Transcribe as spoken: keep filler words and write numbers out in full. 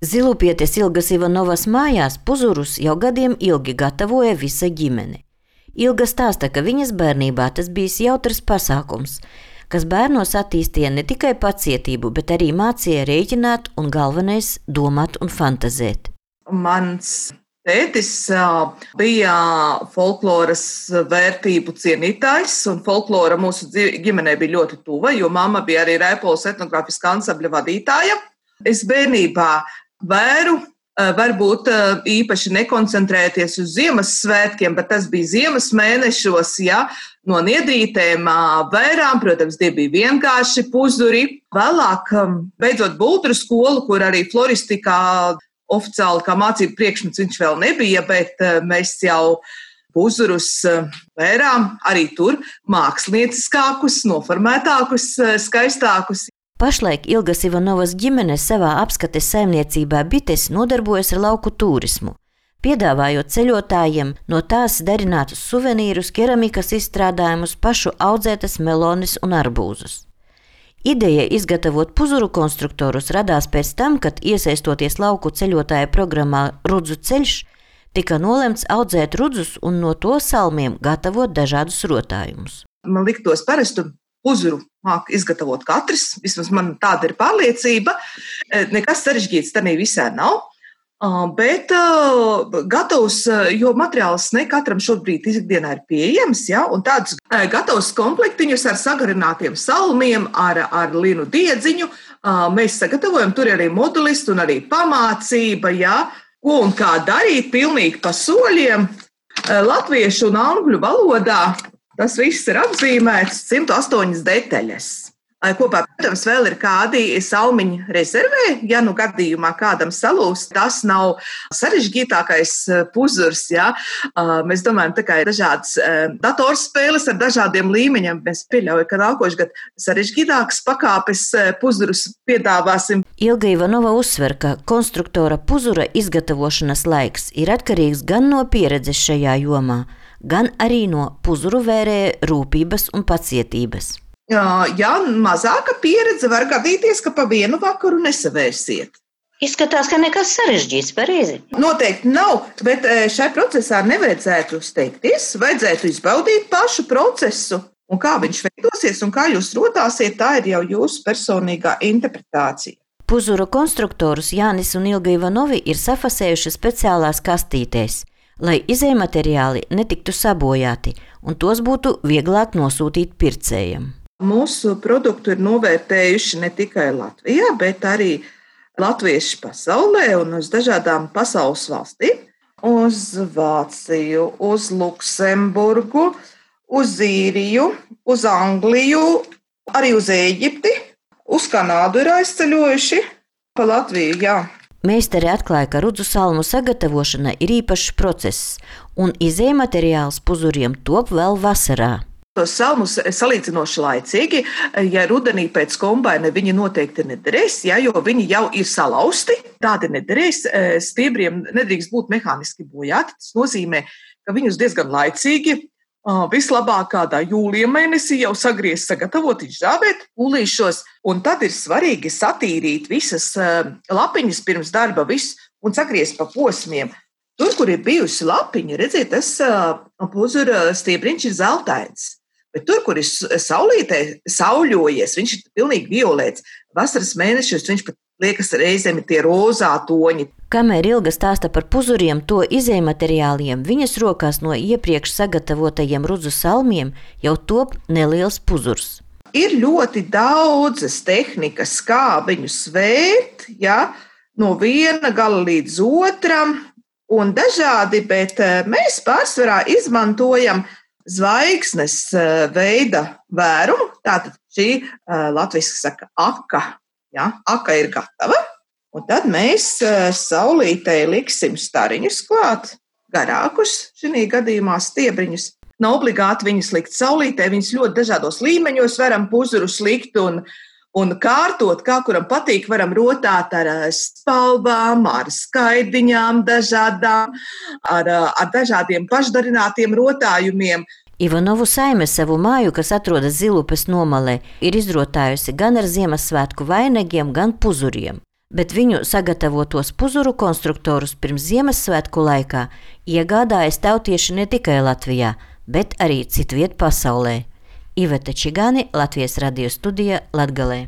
Zilupietes Ilgas Ivanovas mājās puzurus jau gadiem ilgi gatavoja visa ģimene. Ilga stāsta, ka viņas bērnībā tas bijis jautrs pasākums, kas bērnos attīstīja ne tikai pacietību, bet arī mācīja rēķināt un galvenais domāt un fantazēt. Mans tētis bija folkloras vērtību cienītājs, un folklora mūsu ģimenei bija ļoti tuva, jo mamma bija arī Rēpoles etnogrāfiskā ansambļa vadītāja. Es bērnībā vēru varbūt īpaši nekoncentrēties uz Ziemassvētkiem, bet tas bija ziemas mēnešos, ja, no niedrītēm vērām, protams, tie bija vienkārši puzuri. Vēlāk, beidzot buldru skolu, kur arī floristikā oficiāli kā mācību priekšmets viņš vēl nebija, bet mēs jau puzurus vērām arī tur mākslinieckākus, noformētākus, skaistākus. Pašlaik Ilgas Ivanovas ģimene savā apskates saimniecībā bites nodarbojas ar lauku turismu, piedāvājot ceļotājiem no tās darinātus suvenīrus, keramikas izstrādājumus, pašu audzētas melones un arbūzus. Ideja izgatavot puzuru konstruktorus radās pēc tam, kad iesaistoties lauku ceļotāja programmā Rudzu ceļš, tika nolemts audzēt rudzus un no to salmiem gatavot dažādus rotājumus. Man liktos parastu puzuru māk izgatavot katrs, vismaz man tāda ir pārliecība. Nekas sarežģīts tā visā nav, bet gatavs, jo materiāls ne katram šobrīd ikdienā ir pieejams, ja, un tādus gatavus komplektiņus ar sagarinātiem salmiem, ar, ar linu diedziņu mēs sagatavojam. Tur arī modulisti un arī pamācība, ja, ko un kā darīt pilnīgi pa soļiem. Latviešu un angļu valodā tas viss ir apzīmēts, simt astoņas detaļas. Kopā, protams, vēl ir kādi salmiņu rezervē, ja nu gadījumā kādam salūst, tas nav sarežģītākais puzurs, ja. Mēs domājam, tā kā ir dažādas datorspēles ar dažādiem līmeņiem, mēs pieļaujam, ka nākošu gadu sarežģītākas pakāpes puzurus piedāvāsim. Ilga Ivanova uzsver, ka konstruktora puzura izgatavošanas laiks ir atkarīgs gan no pieredzes šajā jomā, gan arī no puzuru vērēja rūpības un pacietības. Ja mazāka pieredze var gadīties, ka pa vienu vakaru nesavērsiet. Izskatās, ka nekas sarežģīts, pareizi. Noteikti nav, bet šai procesā nevajadzētu steigties, vajadzētu izbaudīt pašu procesu. Un kā viņš veidosies un kā jūs rotāsiet, tā ir jau jūsu personīgā interpretācija. Puzuru konstruktorus Jānis un Ilga Ivanovi ir safasējuši speciālās kastītēs, lai izejmateriāli netiktu sabojāti un tos būtu vieglāk nosūtīt pircējiem. Mūsu produktu ir novērtējuši ne tikai Latvijā, bet arī latvieši pasaulē un uz dažādām pasaules valstīm. Uz Vāciju, uz Luksemburgu, uz Īriju, uz Angliju, arī uz Ēģipti, uz Kanādu ir aizceļojuši, pa Latviju, jā. Meistari atklāja, ka rudzu salmu sagatavošana ir īpašs process, un izejmateriāls puzuriem top vēl vasarā. Tos salmus salīdzinoši laicīgi, ja rudenī pēc kombaina viņi noteikti nederēs, ja, jo viņi jau ir salausti, tādi nederēs, stiebriem nedrīkst būt mehāniski bojāti. Tas nozīmē, ka viņus diezgan laicīgi, vislabāk kādā jūlija mēnesī jau sagriezt, sagatavot, izžāvēt pūlīšos, un tad ir svarīgi satīrīt visas lapiņas pirms darba visu un sagriezt pa posmiem. Tur, kur ir bijusi lapiņa, redziet, tas puzura stiebriņš ir zeltains. Bet tur, kur ir saulītē sauļojies, viņš ir pilnīgi violēts. Vasaras mēnešos viņš pat liekas reizēm tie rozā toņi. Kamēr Ilga stāsta par puzuriem, to izejmateriāliem, viņas rokās no iepriekš sagatavotajiem rudzu salmiem jau top neliels puzurs. Ir ļoti daudzas tehnikas, kā viņu svērt, ja, no viena gala līdz otram, un dažādi, bet mēs pārsvarā izmantojam zvaigznes veida vērumu, tātad šī latviski saka aka, ja, aka ir gatava, un tad mēs saulītei liksim stariņus klāt, garākus, šī gadījumā stiebriņus. Nav obligāti viņus likt saulītē, viņus ļoti dažādos līmeņos varam puzurus likt un, un kārtot, kā kuram patīk, varam rotāt ar spalvām, ar skaidiņām dažādām, ar, ar dažādiem pašdarinātiem rotājumiem. Ivanovu saime savu māju, kas atrodas Zilupes nomalē, ir izrotājusi gan ar Ziemassvētku vainagiem, gan puzuriem. bet viņu sagatavotos puzuru konstruktorus pirms Ziemassvētku laikā iegādājas tautieši ne tikai Latvijā, bet arī citviet pasaulē. Iveta Čigāni, Latvijas radio studija Latgalē.